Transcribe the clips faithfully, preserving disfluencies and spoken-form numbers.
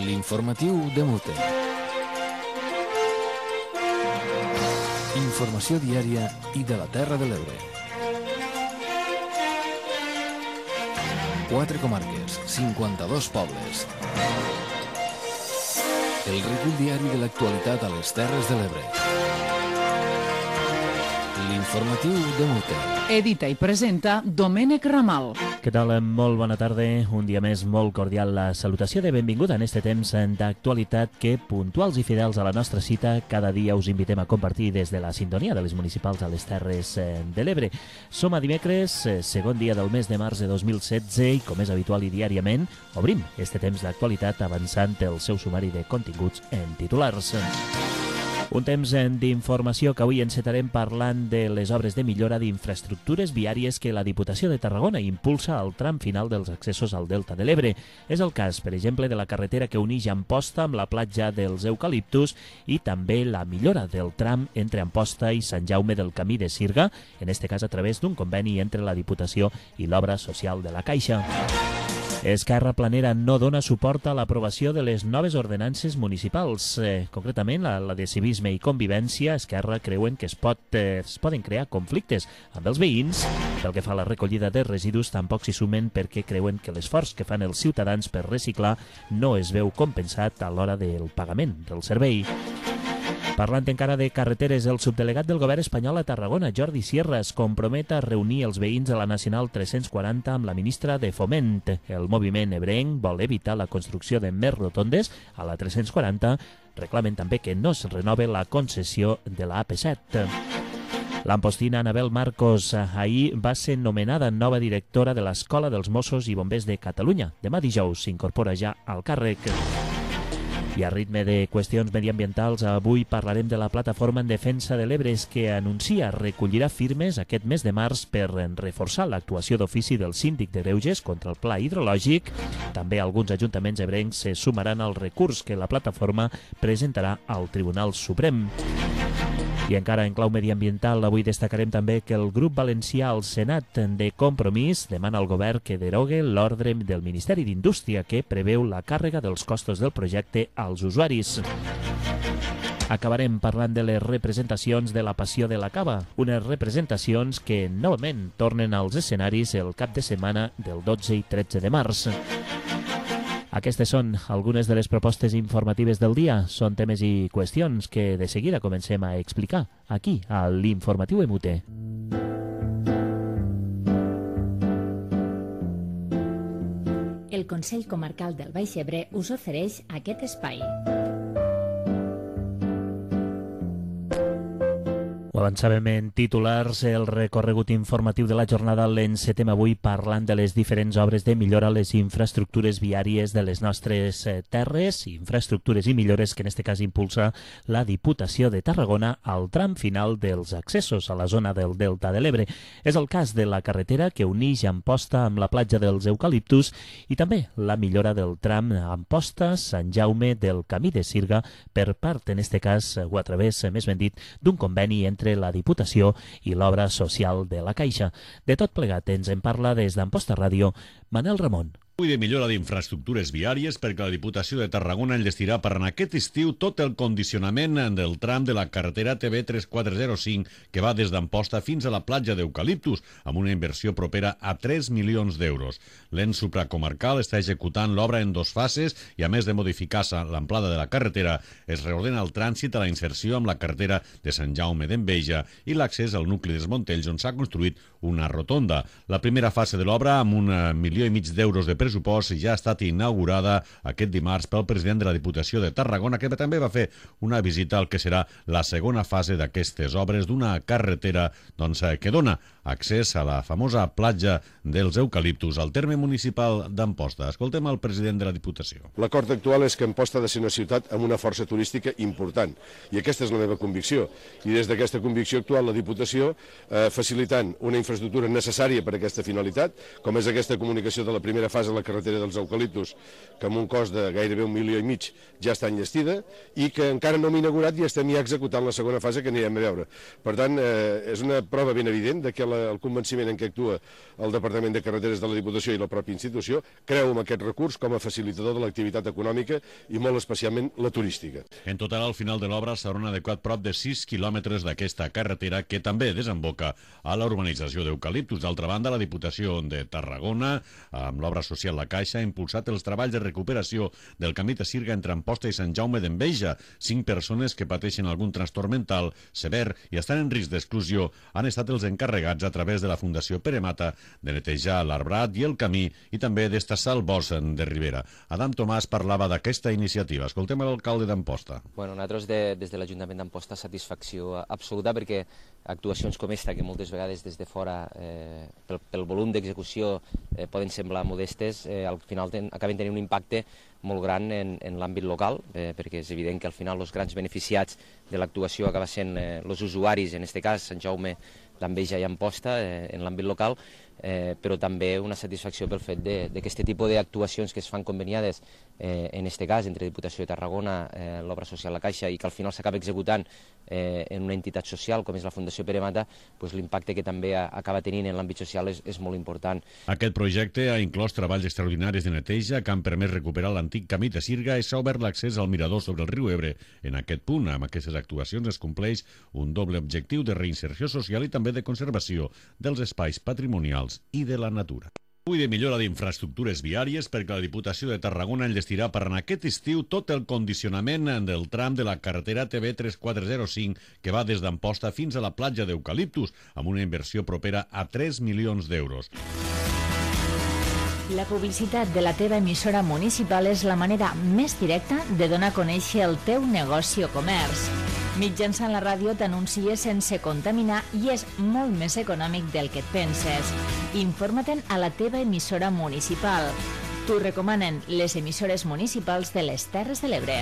L'informatiu de Mute. Informació diària i de la Terra de l'Ebre. Quatre comarques, cinquanta-dos pobles. El recull diari de l'actualitat a les Terres de l'Ebre. L'informatiu de Mute. Edita i presenta Domènec Ramal. Què tal? Molt bona tarda. Un dia més molt cordial la salutació de benvinguda en este temps d'actualitat que, puntuals i fidels a la nostra cita, cada dia us invitem a compartir des de la sintonia de les municipals a les Terres de l'Ebre. Som a dimecres, segon dia del mes de març de dos mil setze i, com és habitual i diàriament, obrim este temps d'actualitat avançant el seu sumari de continguts en titulars. Un temps d'informació que avui encetarem parlant de les obres de millora d'infraestructures viàries que la Diputació de Tarragona impulsa al tram final dels accessos al Delta de l'Ebre. És el cas, per exemple, de la carretera que uneix Amposta amb la platja dels Eucaliptus i també la millora del tram entre Amposta i Sant Jaume del Camí de Sirga, en este cas a través d'un conveni entre la Diputació i l'Obra Social de la Caixa. Esquerra Planera no dona suport a l'aprovació de les noves ordenances municipals. Eh, concretament, la, la de civisme i convivència, Esquerra creuen que es, pot, eh, es poden crear conflictes amb els veïns. Pel que fa a la recollida de residus, tampoc s'hi sumen perquè creuen que l'esforç que fan els ciutadans per reciclar no es veu compensat a l'hora del pagament del servei. Parlant encara de carreteres, el subdelegat del govern espanyol a Tarragona, Jordi Sierra, es compromet a reunir els veïns de la Nacional tres-cents quaranta amb la ministra de Foment. El moviment ebrenc vol evitar la construcció de més rotondes a la tres-cents quaranta. Reclamen també que no es renove la concessió de la A P set. L'ampostina Anabel Marcos ahir va ser nomenada nova directora de l'Escola dels Mossos i Bombers de Catalunya. Demà dijous s'incorpora ja al càrrec. I a ritme de qüestions mediambientals, avui parlarem de la plataforma en defensa de l'Ebre que anuncia recollirà firmes aquest mes de març per reforçar l'actuació d'ofici del síndic de Greuges contra el pla hidrològic. També alguns ajuntaments ebrencs se sumaran al recurs que la plataforma presentarà al Tribunal Suprem. I encara en clau mediambiental, avui destacarem també que el grup valencià al Senat de Compromís demana al govern que derogue l'ordre del Ministeri d'Indústria que preveu la càrrega dels costos del projecte als usuaris. Acabarem parlant de les representacions de la Passió de la Cava, unes representacions que novament tornen als escenaris el cap de setmana del dotze i tretze de març. Aquestes són algunes de les propostes informatives del dia. Són temes i qüestions que de seguida comencem a explicar aquí, a l'Informatiu de Mute. El Consell Comarcal del Baix Ebre us ofereix aquest espai. Ho avançàvem en titulars, el recorregut informatiu de la jornada l'encetem avui parlant de les diferents obres de millora a les infraestructures viàries de les nostres terres, infraestructures i millores que en aquest cas impulsa la Diputació de Tarragona al tram final dels accessos a la zona del Delta de l'Ebre. És el cas de la carretera que uneix Amposta amb la platja dels Eucaliptus i també la millora del tram Amposta-Sant Jaume del Camí de Sirga per part, en aquest cas, o a través, més ben dit, d'un conveni entre la Diputació i l'Obra Social de la Caixa. De tot plegat ens en parla des d'Amposta Ràdio, Manel Ramon. Avui de millora d'infraestructures viàries perquè la Diputació de Tarragona enllestirà per en aquest estiu tot el condicionament del tram de la carretera T B tres quatre zero cinc que va des d'Amposta fins a la platja d'Eucaliptus amb una inversió propera a tres milions d'euros. L'ens supracomarcal està executant l'obra en dos fases i a més de modificar-se l'amplada de la carretera es reordena el trànsit a la inserció amb la carretera de Sant Jaume d'Enveja i l'accés al nucli dels Montells on s'ha construït una rotonda. La primera fase de l'obra amb un milió i mig d'euros de pressupost ja ha estat inaugurada aquest dimarts pel president de la Diputació de Tarragona, que també va fer una visita al que serà la segona fase d'aquestes obres d'una carretera doncs, que dona accés a la famosa platja dels Eucaliptus al terme municipal d'Amposta. Escoltem el president de la Diputació. L'acord actual és que Amposta ha de ser una ciutat amb una força turística important i aquesta és la meva convicció. I des d'aquesta convicció actual la Diputació, eh, facilitant una infraestructura necessària per a aquesta finalitat, com és aquesta comunicació de la primera fase la carretera dels Eucaliptus, que amb un cost de gairebé un milió i mig ja està enllestida i que encara no hem inaugurat i estem ja executant la segona fase que anirem a veure. Per tant, eh, és una prova ben evident de que la el convenciment en què actua el Departament de Carreteres de la Diputació i la pròpia institució, creu en aquest recurs com a facilitador de l'activitat econòmica i molt especialment la turística. En total, al final de l'obra s'hauran adequat prop de sis quilòmetres d'aquesta carretera que també desemboca a la urbanització d'Eucaliptus. D'altra banda, la Diputació de Tarragona, amb l'obra social La Caixa, ha impulsat els treballs de recuperació del camí de Sirga entre Amposta i Sant Jaume d'Enveja. Cinc persones que pateixen algun trastorn mental sever i estan en risc d'exclusió han estat els encarregats a través de la Fundació Pere Mata de netejar l'arbrat i el camí i també d'estassar el bosc de Ribera. Adam Tomàs parlava d'aquesta iniciativa. Escoltem l'alcalde d'Amposta. Bueno, nosaltres de, des de l'Ajuntament d'Amposta satisfacció absoluta perquè actuacions com esta, que moltes vegades des de fora eh, pel, pel volum d'execució eh, poden semblar modestes, eh, al final ten, acaben tenint un impacte molt gran en, en l'àmbit local, eh, perquè és evident que al final els grans beneficiats de l'actuació acaba sent eh, els usuaris, en aquest cas Sant Jaume d'Enveja i Amposta, eh, en l'àmbit local, eh, però també una satisfacció pel fet de, de que aquest tipus d'actuacions que es fan conveniades, eh, en aquest cas entre Diputació de Tarragona, eh, l'obra social La Caixa, i que al final s'acaba executant eh, en una entitat social com és la Fundació Pere Mata, pues l'impacte que també acaba tenint en l'àmbit social és, és molt important. Aquest projecte ha inclòs treballs extraordinaris de neteja que han permès recuperar l'antic camí de Sirga i s'ha obert l'accés al mirador sobre el riu Ebre. En aquest punt, amb aquestes actuacions es compleix un doble objectiu de reinserció social i també de conservació dels espais patrimonials i de la natura. I de millora d'infraestructures viàries perquè la Diputació de Tarragona enllestirà per en aquest estiu tot el condicionament del tram de la carretera T B tres quatre zero cinc que va des d'Amposta fins a la platja d'Eucaliptus amb una inversió propera a tres milions d'euros. La publicitat de la teva emissora municipal és la manera més directa de donar a conèixer el teu negoci o comerç. Mitjançant la ràdio t'anuncies sense contaminar i és molt més econòmic del que et penses. Informa-te'n a la teva emissora municipal. T'ho recomanen les emissores municipals de les Terres de l'Ebre.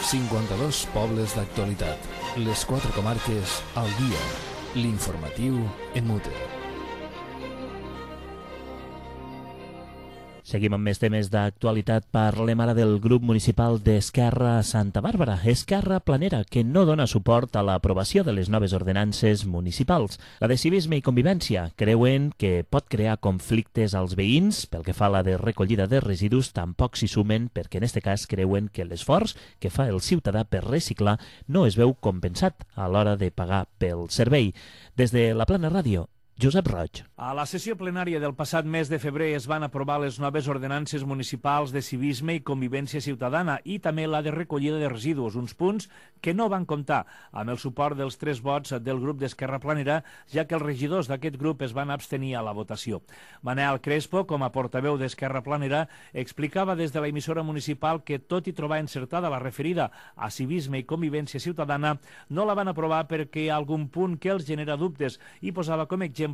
cinquanta-dos pobles d'actualitat. Les quatre comarques al dia. L'informatiu en mute. Seguim amb més temes d'actualitat. Parlem ara del grup municipal d'Esquerra Santa Bàrbara, Esquerra Planera, que no dona suport a l'aprovació de les noves ordenances municipals. La de civisme i convivència creuen que pot crear conflictes als veïns. Pel que fa a la de recollida de residus, tampoc s'hi sumen perquè en aquest cas creuen que l'esforç que fa el ciutadà per reciclar no es veu compensat a l'hora de pagar pel servei. Des de la Plana Ràdio, Josep Roig. A la sessió plenària del passat mes de febrer es van aprovar les noves ordenances municipals de civisme i convivència ciutadana i també la de recollida de residus, uns punts que no van comptar amb el suport dels tres vots del grup d'Esquerra Planera, ja que els regidors d'aquest grup es van abstenir a la votació. Manel Crespo, com a portaveu d'Esquerra Planera, explicava des de la emissora municipal que, tot i trobar encertada la referida a civisme i convivència ciutadana, no la van aprovar perquè hi ha algun punt que els genera dubtes i posava com a exemple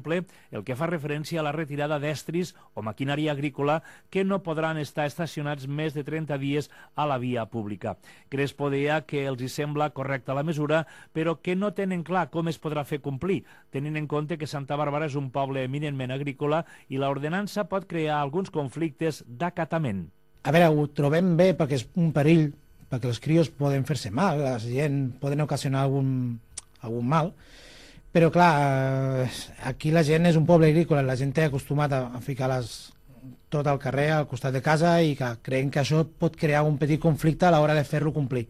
el que fa referència a la retirada d'estris o maquinària agrícola que no podran estar estacionats més de trenta dies a la via pública. Crespo deia que els hi sembla correcta la mesura, però que no tenen clar com es podrà fer complir, tenint en compte que Santa Bàrbara és un poble eminentment agrícola i l'ordenança pot crear alguns conflictes d'acatament. A veure, ho trobem bé perquè és un perill, perquè els crios poden fer-se mal, la gent poden ocasionar algun, algun mal, però clar, aquí la gent és un poble agrícola, la gent té acostumat a ficar les, tot al carrer, al costat de casa, i que creiem que això pot crear un petit conflicte a l'hora de fer-lo complir.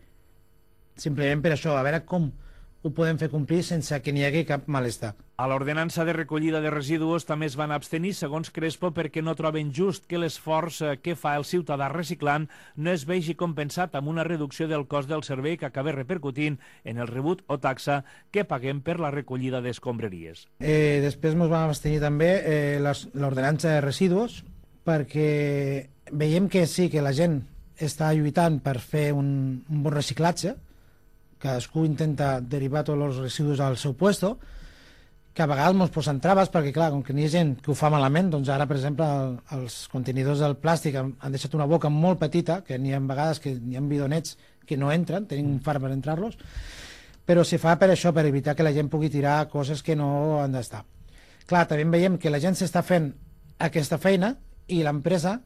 Simplement per això, a veure com ho podem fer complir sense que n'hi hagi cap malestar. A l'ordenança de recollida de residus també es van abstenir, segons Crespo, perquè no troben just que l'esforç que fa el ciutadà reciclant no es vegi compensat amb una reducció del cost del servei que acaba repercutint en el rebut o taxa que paguem per la recollida d'escombraries. Eh, després ens vam abstenir també eh, l'ordenança de residus, perquè veiem que sí, que la gent està lluitant per fer un, un bon reciclatge, cadascú intenta derivar tots els residus al seu puesto, que a vegades ens posen traves perquè, clar, com que n'hi ha gent que ho fa malament, doncs ara, per exemple, el, els contenidors del plàstic han, han deixat una boca molt petita, que n'hi ha vegades que n'hi ha bidonets que no entren, tenim un far per entrar-los, però se fa per això, per evitar que la gent pugui tirar coses que no han d'estar. Clar, també veiem que la gent s'està fent aquesta feina i l'empresa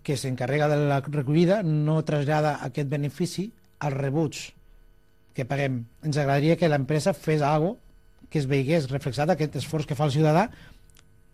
que s'encarrega de la recollida no trasllada aquest benefici als rebuts que paguem. Ens agradaria que l'empresa fes alguna cosa que es veigués reflexat aquest esforç que fa el ciutadà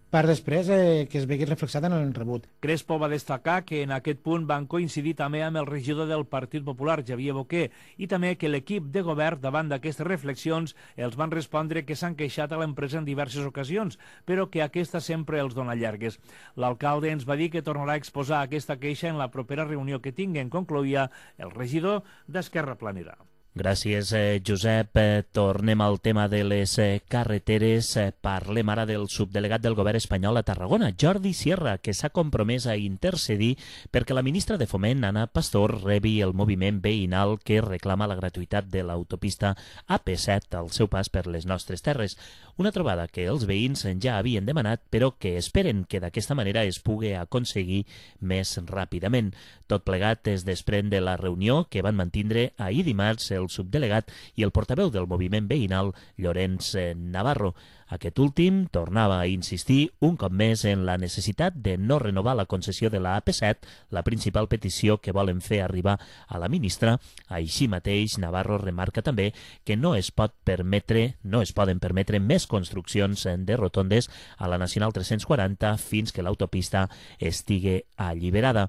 per després eh, que es vegi reflexat en el rebut. Crespo va destacar que en aquest punt van coincidir també amb el regidor del Partit Popular, Xavier Boquer, i també que l'equip de govern, davant d'aquestes reflexions, els van respondre que s'han queixat a l'empresa en diverses ocasions, però que aquesta sempre els dona llargues. L'alcalde ens va dir que tornarà a exposar aquesta queixa en la propera reunió que tinguen, concloïa el regidor d'Esquerra Planera. Gràcies, eh, Josep. Eh, tornem al tema de les eh, carreteres. Eh, parlem ara del subdelegat del govern espanyol a Tarragona, Jordi Sierra, que s'ha compromès a intercedir perquè la ministra de Foment, Ana Pastor, rebi el moviment veïnal que reclama la gratuïtat de l'autopista A P set al seu pas per les nostres terres. Una trobada que els veïns ja havien demanat, però que esperen que d'aquesta manera es pugui aconseguir més ràpidament. Tot plegat es desprèn de la reunió que van mantindre ahir dimarts el subdelegat i el portaveu del moviment veïnal, Llorenç Navarro. Aquest últim tornava a insistir un cop més en la necessitat de no renovar la concessió de la A P set, la principal petició que volen fer arribar a la ministra. Així mateix, Navarro remarca també que no es pot permetre, no es poden permetre més construccions de rotondes a la Nacional tres-cents quaranta fins que l'autopista estigui alliberada.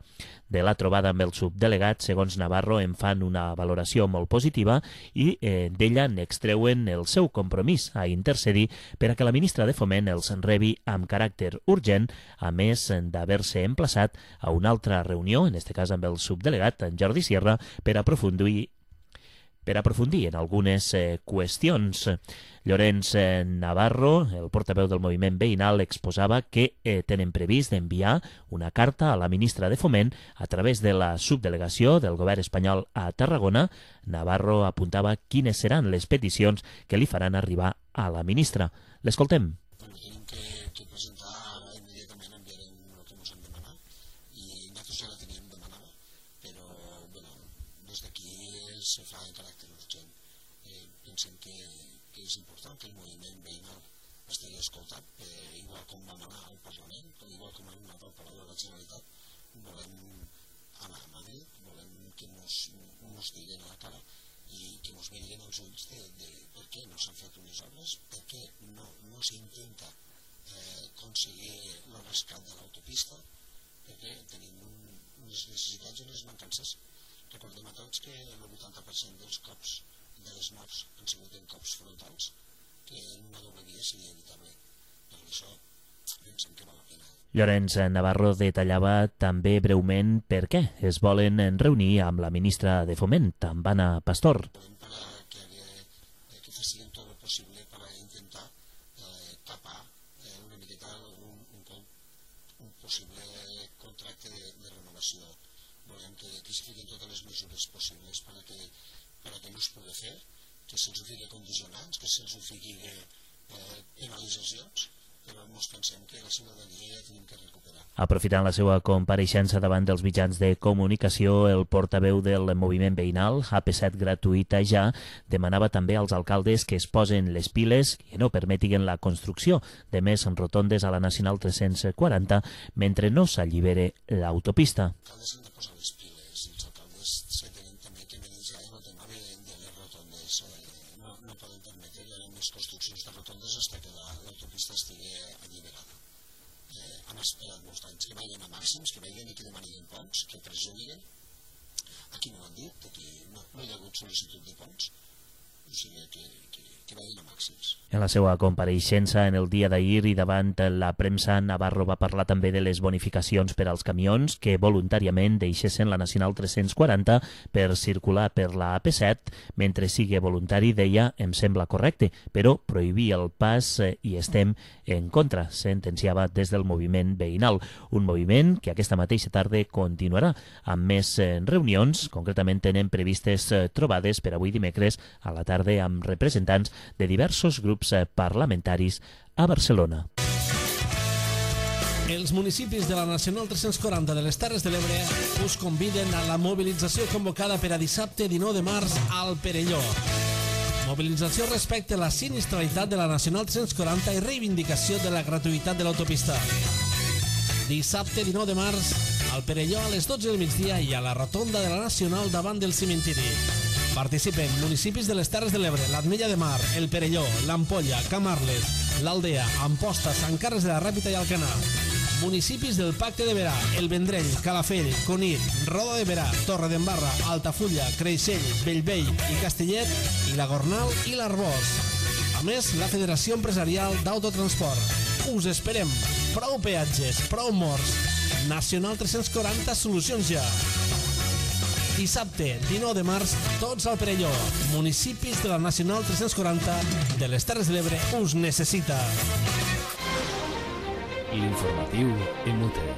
De la trobada amb el subdelegat, segons Navarro, en fan una valoració molt positiva i eh, d'ella n'extreuen el seu compromís a intercedir per a que la ministra de Foment els rebi amb caràcter urgent, a més d'haver-se emplaçat a una altra reunió, en aquest cas amb el subdelegat, en Jordi Sierra, per aprofundir per aprofundir en algunes eh, qüestions. Llorenç eh, Navarro, el portaveu del moviment veïnal, exposava que eh, tenen previst d'enviar una carta a la ministra de Foment a través de la subdelegació del govern espanyol a Tarragona. Navarro apuntava quines seran les peticions que li faran arribar a la ministra. L'escoltem. Tenim que, que presentar ara immediatament enviarem el que ens han demanat i nosaltres ja la teníem demanada, però bueno, des d'aquí se fa en caràcter urgent. Eh, pensem que, que és important que el moviment veïnal estigui escoltat, eh, igual com vam anar al Parlament, igual com hem anat al Palau de la Generalitat, volem anar a Madrid, volem que ens diguin a la cara i que ens mirin els ulls de, de per què no s'han fet unes obres, per què no, no s'intenta eh, aconseguir el rescat de l'autopista, perquè tenim un, unes necessitats i unes mancances. Recordem a tots que el vuitanta per cent dels cops de les morts han sigut en cops frontals, que en una doble via seria evitable. Per això pensem que val la pena. Llorenç Navarro detallava també breument per què es volen reunir amb la ministra de Foment, amb Ana Pastor. Que, que facin tot el possible per intentar eh, tapar eh, una miqueta un, un, un possible contracte de, de renovació. Volem que, que s'hi fiquin totes les mesures possibles perquè, perquè no es pugui fer, que se'ls fiqui condicionants, que se'ls fiqui eh, penalitzacions, però ens pensem que la ciutadania ja tenim que recuperar. Aprofitant la seva compareixença davant dels mitjans de comunicació, el portaveu del moviment veïnal, A P set gratuïta ja, demanava també als alcaldes que es posen les piles i no permetin la construcció de més rotondes a la Nacional tres-cents quaranta mentre no s'allibere l'autopista. Els alcaldes han de posar les piles i els alcaldes se tenen també que manejar el tema de, de les rotondes. Eh, no, no poden permetre les construccions de rotondes fins que l'autopista estigui alliberada. Eh, han esperat molts anys que vagin a màxims, que vagin i que demanin ponts, que perjuguen. Aquí no ho han dit, aquí no, no hi ha hagut sol·licitud de ponts, o sigui que, que, que vagin a màxims. En la seva compareixença en el dia d'ahir i davant la premsa, Navarro va parlar també de les bonificacions per als camions que voluntàriament deixessin la Nacional tres-cents quaranta per circular per la A P set. Mentre sigui voluntari, deia, em sembla correcte, però prohibir el pas eh, i estem en contra, sentenciava des del moviment veïnal. Un moviment que aquesta mateixa tarda continuarà amb més eh, reunions. Concretament tenen previstes eh, trobades per avui dimecres a la tarda amb representants de diversos grups parlamentaris a Barcelona. Els municipis de la Nacional tres-cents quaranta de les Terres de l'Ebre us conviden a la mobilització convocada per a dissabte dinou de març al Perelló. Mobilització respecte a la sinistralitat de la Nacional tres-cents quaranta i reivindicació de la gratuïtat de l'autopista. Dissabte dinou de març al Perelló a les dotze del migdia i a la rotonda de la Nacional davant del cementiri. Participen municipis de les Terres de l'Ebre, l'Ametlla de Mar, el Perelló, l'Ampolla, Camarles, l'Aldea, Amposta, Sant Carles de la Ràpita i Alcanar. Municipis del Pacte de Berà, el Vendrell, Calafell, Cunit, Roda de Berà, Torredembarra, Altafulla, Creixell, Bellvei i Castellet, i la Gornal i l'Arbós. A més, la Federació Empresarial d'Autotransport. Us esperem. Prou peatges, prou morts. Nacional tres-cents quaranta, solucions ja. Dissabte, dinou de març, tots al Perelló. Municipis de la Nacional tres-cents quaranta de les Terres de l'Ebre us necessita. Informatiu Inútil.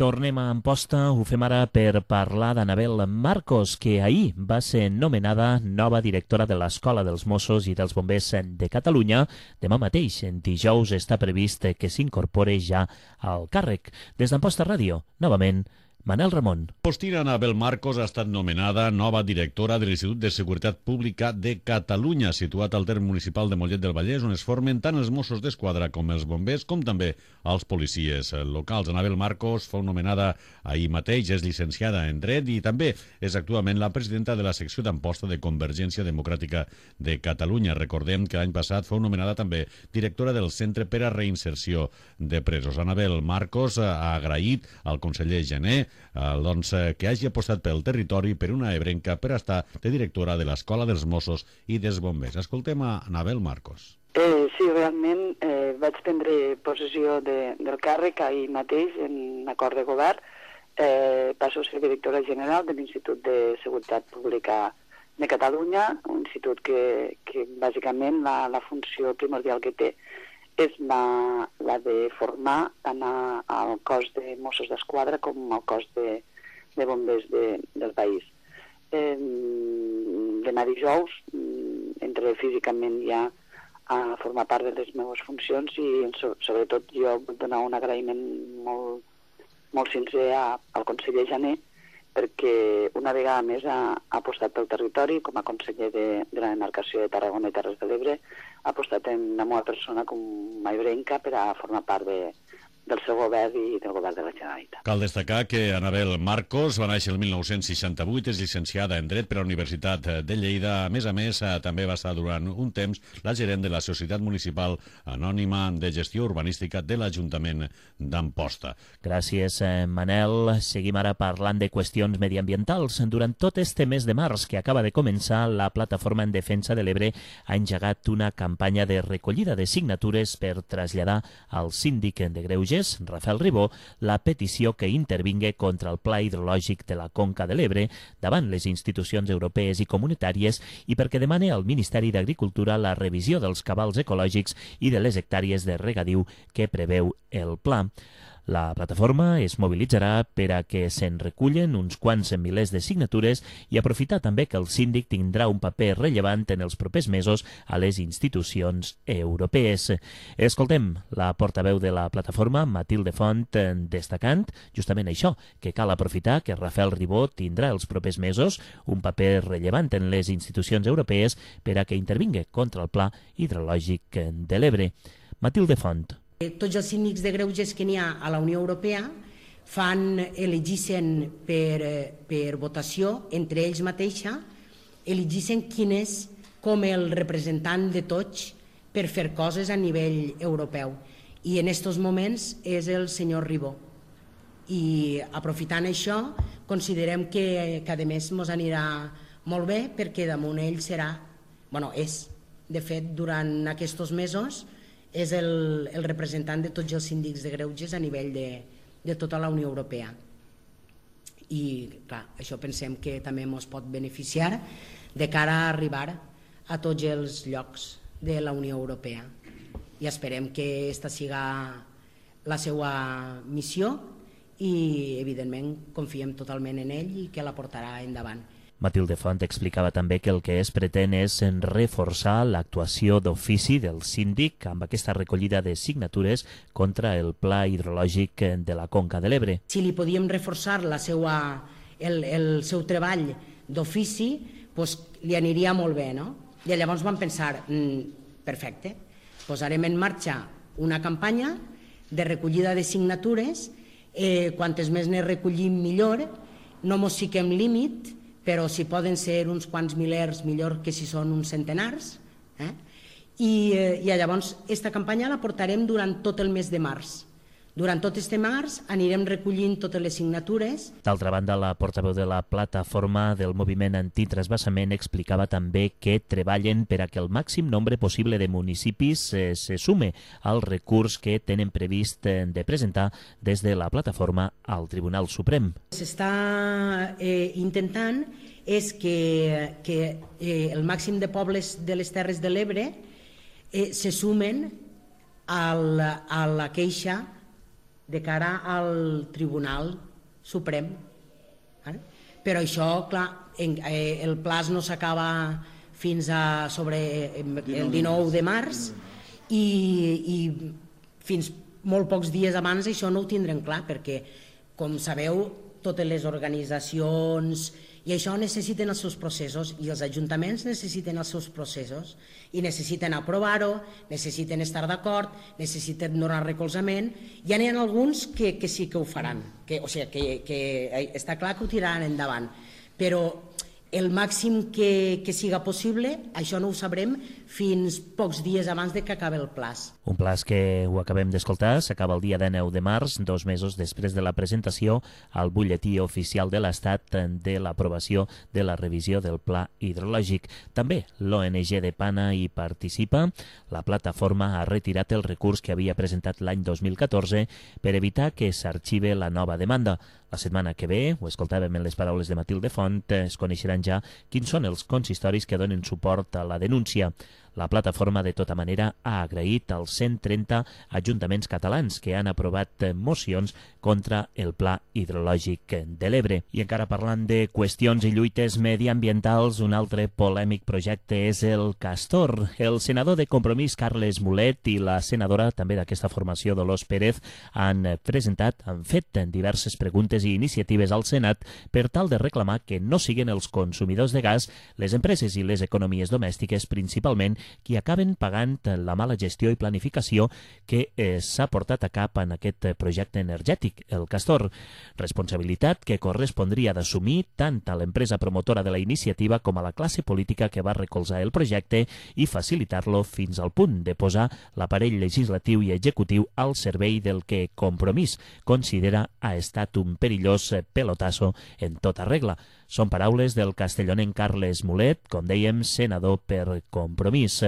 Tornem a Amposta, ho fem ara per parlar d'Anabel Marcos, que ahir va ser nomenada nova directora de l'Escola dels Mossos i dels Bombers de Catalunya. Demà mateix, en dijous, està previst que s'incorpore ja al càrrec. Des d'Amposta Ràdio, novament, Manel Ramon. Postina Anabel Marcos ha estat nomenada nova directora de l'Institut de Seguretat Pública de Catalunya, situat al terme municipal de Mollet del Vallès, on es formen tant els Mossos d'Esquadra com els bombers, com també els policies locals. Anabel Marcos fou nomenada ahir mateix, és llicenciada en Dret i també és actualment la presidenta de la secció d'Amposta de Convergència Democràtica de Catalunya. Recordem que l'any passat fou nomenada també directora del Centre per a Reinserció de Presos. Anabel Marcos ha agraït al conseller Gené Eh, doncs, eh, que hagi apostat pel territori per una ebrenca per estar de directora de l'Escola dels Mossos i dels Bombers. Escoltem a Anabel Marcos. Eh, sí, realment eh, vaig prendre possessió de, del càrrec ahir mateix en acord de govern. Eh, passo a ser directora general de l'Institut de Seguretat Pública de Catalunya, un institut que, que bàsicament la, la funció primordial que té és la, la de formar tant a, al cos de Mossos d'Esquadra com al cos de, de bombers de, del país. Eh, demà dijous entraré físicament ja a formar part de les meves funcions i so, sobretot jo vull donar un agraïment molt, molt sincer a, al conseller Gené, perquè una vegada més ha, ha apostat pel territori com a conseller de, de la demarcació de Tarragona i Terres de l'Ebre, ha apostat en la meva persona com a ebrenca per a formar part de, del seu govern i del govern de la Generalitat. Cal destacar que Anabel Marcos va néixer el mil nou-cents seixanta-vuit, és llicenciada en Dret per la Universitat de Lleida. A més a més, també va estar durant un temps la gerent de la Societat Municipal Anònima de Gestió Urbanística de l'Ajuntament d'Amposta. Gràcies, Manel. Seguim ara parlant de qüestions mediambientals. Durant tot este mes de març que acaba de començar, la Plataforma en Defensa de l'Ebre ha engegat una campanya de recollida de signatures per traslladar al síndic de Greuges, Rafael Ribó, la petició que intervingui contra el Pla Hidrològic de la Conca de l'Ebre davant les institucions europees i comunitàries i perquè demane al Ministeri d'Agricultura la revisió dels cabals ecològics i de les hectàrees de regadiu que preveu el pla. La plataforma es mobilitzarà per a que se'n recullen uns quants milers de signatures i aprofitar també que el síndic tindrà un paper rellevant en els propers mesos a les institucions europees. Escoltem la portaveu de la plataforma, Matilde Font, destacant justament això, que cal aprofitar que Rafael Ribó tindrà els propers mesos un paper rellevant en les institucions europees per a que intervingui contra el Pla Hidrològic de l'Ebre. Matilde Font. Tots els síndics de greuges que n'hi ha a la Unió Europea fan, elegissen per, per votació entre ells mateixa, elegissen quin és com el representant de tots per fer coses a nivell europeu. I en aquests moments és el senyor Ribó. I aprofitant això, considerem que, que a més ens anirà molt bé perquè damunt ell serà, bueno, és, de fet, durant aquests mesos, és el, el representant de tots els síndics de greuges a nivell de, de tota la Unió Europea. I, clar, això pensem que també ens pot beneficiar de cara a arribar a tots els llocs de la Unió Europea. I esperem que aquesta siga la seva missió i, evidentment, confiem totalment en ell i que la portarà endavant. Matilde Font explicava també que el que es pretén és reforçar l'actuació d'ofici del síndic amb aquesta recollida de signatures contra el Pla Hidrològic de la Conca de l'Ebre. Si li podíem reforçar la seva, el, el seu treball d'ofici, doncs li aniria molt bé, no? I llavors vam pensar, mmm, perfecte, posarem en marxa una campanya de recollida de signatures, eh, quantes més ne recollim millor, no mos fiquem límit, però si poden ser uns quants milers, millor que si són uns centenars. Eh? I, I llavors, aquesta campanya la portarem durant tot el mes de març. Durant tot este març anirem recollint totes les signatures. D'altra banda, la portaveu de la plataforma del moviment antitrasbassament explicava també que treballen per a que el màxim nombre possible de municipis eh, se sume al recurs que tenen previst eh, de presentar des de la plataforma al Tribunal Suprem. S'està eh, intentant és que, que eh, el màxim de pobles de les Terres de l'Ebre eh, se sumen al, a la queixa de cara al Tribunal Suprem. Però això, clar, el plaç no s'acaba fins a sobre el dinou de març i, i fins molt pocs dies abans això no ho tindrem clar, perquè, com sabeu, totes les organitzacions i això necessiten els seus processos i els ajuntaments necessiten els seus processos i necessiten aprovar-ho, necessiten estar d'acord, necessiten donar recolzament. Ja n'hi ha alguns que, que sí que ho faran, que, o sigui, que, que està clar que ho tiraran endavant, però el màxim que, que siga possible, això no ho sabrem fins pocs dies abans de que acabi el plaç. Un plaç que ho acabem d'escoltar, s'acaba el dia dinou de març, dos mesos després de la presentació al butlletí oficial de l'Estat de l'aprovació de la revisió del Pla Hidrològic. També l'O N G de Pana hi participa. La plataforma ha retirat el recurs que havia presentat l'any dos mil catorze per evitar que s'arxive la nova demanda. La setmana que ve, ho escoltàvem en les paraules de Matilde Font, es coneixeran ja quins són els consistoris que donen suport a la denúncia. La plataforma, de tota manera, ha agraït als cent trenta ajuntaments catalans que han aprovat mocions contra el Pla Hidrològic de l'Ebre. I encara parlant de qüestions i lluites mediambientals, un altre polèmic projecte és el Castor. El senador de Compromís, Carles Mulet, i la senadora també d'aquesta formació, Dolors Pérez, han presentat, han fet diverses preguntes i iniciatives al Senat per tal de reclamar que no siguin els consumidors de gas, les empreses i les economies domèstiques, principalment, qui acaben pagant la mala gestió i planificació que eh, s'ha portat a cap en aquest projecte energètic, el Castor. Responsabilitat que correspondria d'assumir tant a l'empresa promotora de la iniciativa com a la classe política que va recolzar el projecte i facilitar-lo fins al punt de posar l'aparell legislatiu i executiu al servei del que Compromís considera ha estat un perillós pelotasso en tota regla. Són paraules del castellonenc Carles Mulet, com dèiem, senador per Compromís.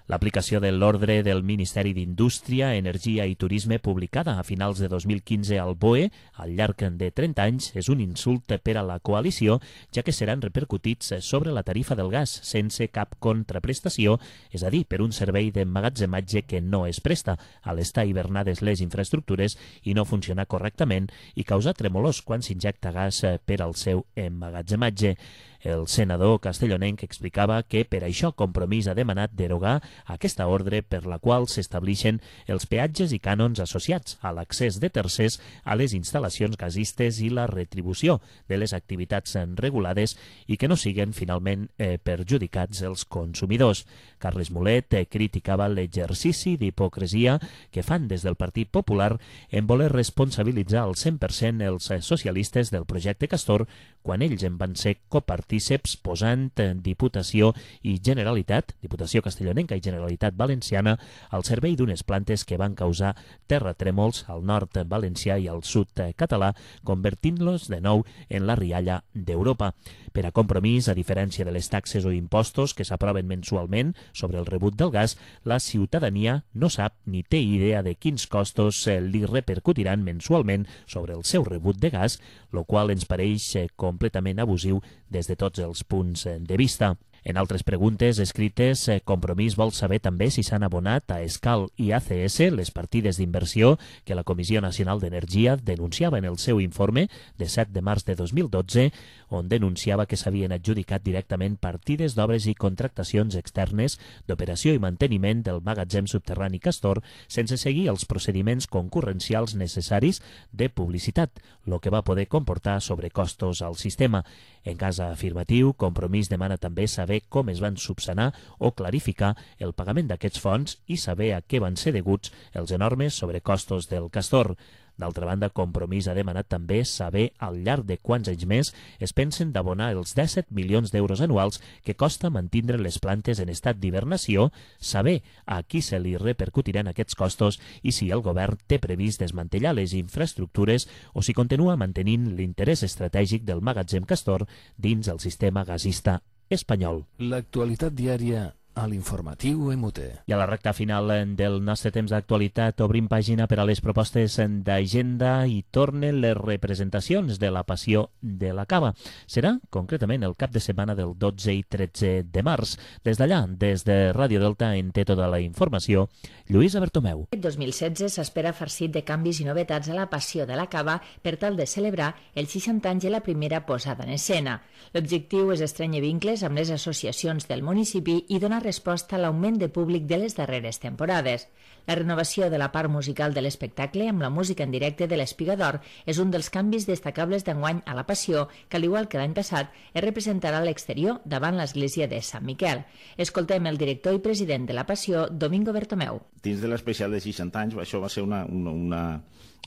L'aplicació de l'ordre del Ministeri d'Indústria, Energia i Turisme publicada a finals de dos mil quinze al B O E al llarg de trenta anys és un insult per a la coalició, ja que seran repercutits sobre la tarifa del gas sense cap contraprestació, és a dir, per un servei d'emmagatzematge que no es presta a l'estar hivernades les infraestructures i no funcionar correctament i causar tremolors quan s'injecta gas per al seu emmagatzematge. El senador castellonenc explicava que per això Compromís ha demanat derogar aquesta ordre per la qual s'establixen els peatges i cànons associats a l'accés de tercers a les instal·lacions gasistes i la retribució de les activitats regulades i que no siguen finalment eh, perjudicats els consumidors. Carles Mulet eh, criticava l'exercici d'hipocresia que fan des del Partit Popular en voler responsabilitzar al cent per cent els socialistes del projecte Castor quan ells en van ser copartíceps posant Diputació i Generalitat, Diputació Castellonenca i Generalitat Valenciana, al servei d'unes plantes que van causar terratrèmols al nord valencià i al sud català, convertint-los de nou en la rialla d'Europa. Per a Compromís, a diferència de les taxes o impostos que s'aproven mensualment sobre el rebut del gas, la ciutadania no sap ni té idea de quins costos li repercutiran mensualment sobre el seu rebut de gas, lo qual ens pareix completament abusiu des de tots els punts de vista. En altres preguntes escrites, Compromís vol saber també si s'han abonat a Escal i A C S les partides d'inversió que la Comissió Nacional d'Energia denunciava en el seu informe de set de març de dos mil dotze, on denunciava que s'havien adjudicat directament partides d'obres i contractacions externes d'operació i manteniment del magatzem subterrani Castor sense seguir els procediments concurrencials necessaris de publicitat, lo que va poder comportar sobrecostos al sistema. En cas afirmatiu, Compromís demana també saber com es van subsanar o clarificar el pagament d'aquests fons i saber a què van ser deguts els enormes sobrecostos del Castor. D'altra banda, Compromís ha demanat també saber al llarg de quants anys més es pensen d'abonar els disset milions d'euros anuals que costa mantindre les plantes en estat d'hibernació, saber a qui se li repercutiran aquests costos i si el govern té previst desmantellar les infraestructures o si continua mantenint l'interès estratègic del magatzem Castor dins el sistema gasista espanyol. L'actualitat diària a l'informatiu M T. I a la recta final del nostre temps d'actualitat obrim pàgina per a les propostes d'agenda i tornen les representacions de la Passió de la Cava. Serà concretament el cap de setmana del dotze i tretze de març. Des d'allà, des de Ràdio Delta, en té tota la informació Lluïsa Bertomeu. Aquest dos mil setze s'espera farcit de canvis i novetats a la Passió de la Cava per tal de celebrar els seixanta anys de la primera posada en escena. L'objectiu és estrènyer vincles amb les associacions del municipi i donar resposta a l'augment de públic de les darreres temporades. La renovació de la part musical de l'espectacle amb la música en directe de l'Espiga d'Or és un dels canvis destacables d'enguany a la Passió, que al igual que l'any passat es representarà a l'exterior davant l'església de Sant Miquel. Escoltem el director i president de la Passió, Domingo Bertomeu. Dins de l'especial de seixanta anys, això va ser una, una, una,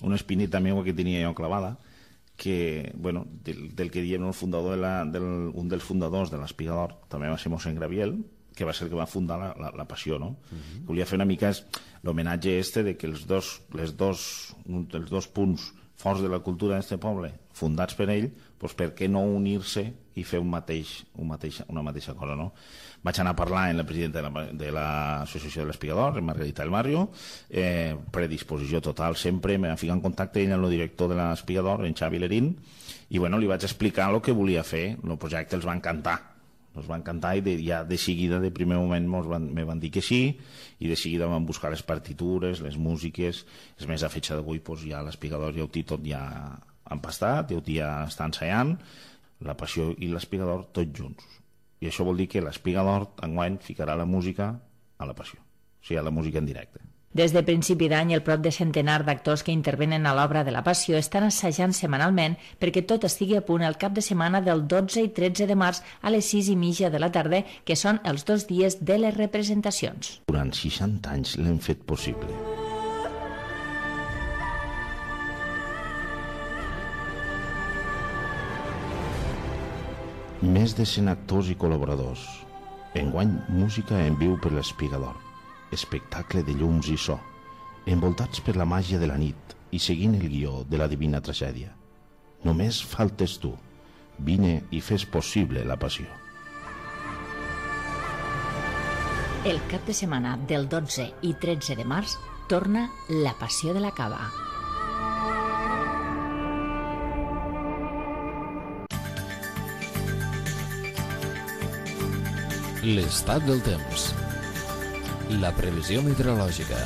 una espinita meva que tenia jo clavada, que, bueno, del, del que diem el fundador de la, del, un dels fundadors de l'Espiga d'Or també va ser mossèn Graviel, que va ser el que va fundar la, la, la Passió, no? Uh-huh. Volia fer una mica l'homenatge este de que els dos, les dos, un dels dos punts forts de la cultura d'aquest poble, fundats per ell, doncs per què no unir-se i fer un mateix, un mateix, una mateixa cosa, no? Vaig anar a parlar amb la presidenta de l'Associació de l'Espiga d'Or, Margarita del Barrio, eh, predisposició total sempre, me va ficar en contacte ell amb el director de l'Espiga d'Or, en Xavi Lerín, i bueno, li vaig explicar el que volia fer, el projecte els va encantar. Ens va encantar i de, ja de seguida, de primer moment, ens van, me van dir que sí, i de seguida van buscar les partitures, les músiques. És més, a fetge d'avui pues, ja l'Espiga d'Or ja ho té tot ja empastat, ja ho té ja està ensaiant, la Passió i l'Espiga d'Or tots junts. I això vol dir que l'Espiga d'Or enguany ficarà la música a la Passió, o sigui, a la música en directe. Des de principi d'any, el prop de centenar d'actors que intervenen a l'obra de la Passió estan assajant setmanalment perquè tot estigui a punt el cap de setmana del dotze i tretze de març a les sis i mitja de la tarda, que són els dos dies de les representacions. Durant seixanta anys l'hem fet possible. Més de cent actors i col·laboradors. Enguany, música en viu per l'Espiga d'Or. Espectacle de llums i so, envoltats per la màgia de la nit i seguint el guió de la divina tragèdia. Només faltes tu. Vine i fes possible la Passió. El cap de setmana del dotze i tretze de març torna la Passió de la Cava. L'estat del temps. La previsió meteorològica.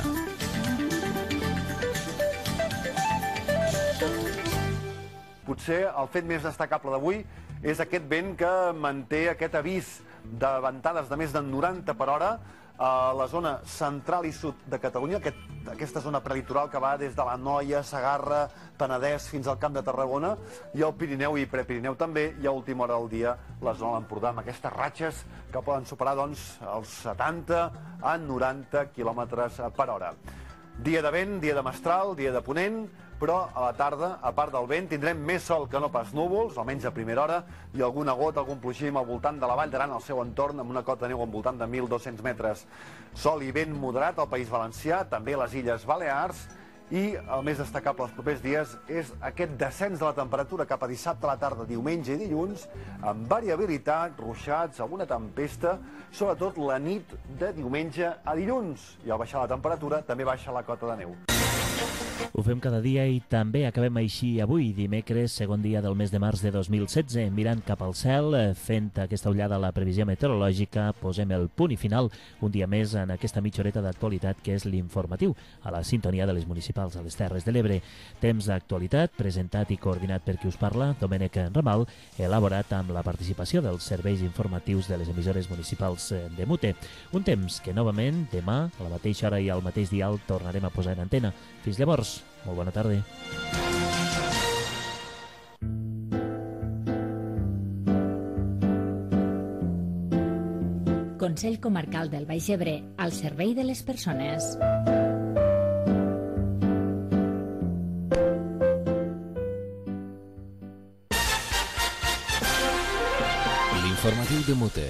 Potser el fet més destacable d'avui és aquest vent que manté aquest avís de ventades de més de noranta per hora a la zona central i sud de Catalunya, aquest, aquesta zona prelitoral que va des de l'Anoia, Segarra, Penedès fins al Camp de Tarragona, i el Pirineu i Prepirineu també, i a última hora del dia la zona de l'Empordà, amb aquestes ratxes que poden superar doncs, els setanta a noranta quilòmetres per hora. Dia de vent, dia de mestral, dia de ponent, però a la tarda, a part del vent, tindrem més sol que no pas núvols, almenys a primera hora, i alguna gota, algun ploixim al voltant de la Vall d'Aran, al seu entorn, amb una cota de neu al voltant de mil dos-cents metres. Sol i vent moderat al País Valencià, també a les Illes Balears, i el més destacable els propers dies és aquest descens de la temperatura cap a dissabte a la tarda, diumenge i dilluns, amb variabilitat, ruixats, alguna tempesta, sobretot la nit de diumenge a dilluns. I al baixar la temperatura també baixa la cota de neu. Ho fem cada dia i també acabem així avui, dimecres, segon dia del mes de març de dos mil setze, mirant cap al cel, fent aquesta ullada a la previsió meteorològica, posem el punt i final un dia més en aquesta mitja horeta d'actualitat que és l'informatiu, a la sintonia de les municipals a les Terres de l'Ebre. Temps d'actualitat, presentat i coordinat per qui us parla, Domènec Ramal, elaborat amb la participació dels serveis informatius de les emissores municipals de Mute. Un temps que, novament, demà, a la mateixa hora i al mateix dial, tornarem a posar en antena. Fins llavors, molt bona tarda. Consell Comarcal del Baix Ebre, al servei de les persones. L'informatiu de Mute,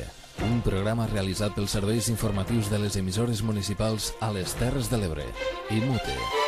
un programa realitzat pels serveis informatius de les emissores municipals a les Terres de l'Ebre i Mute.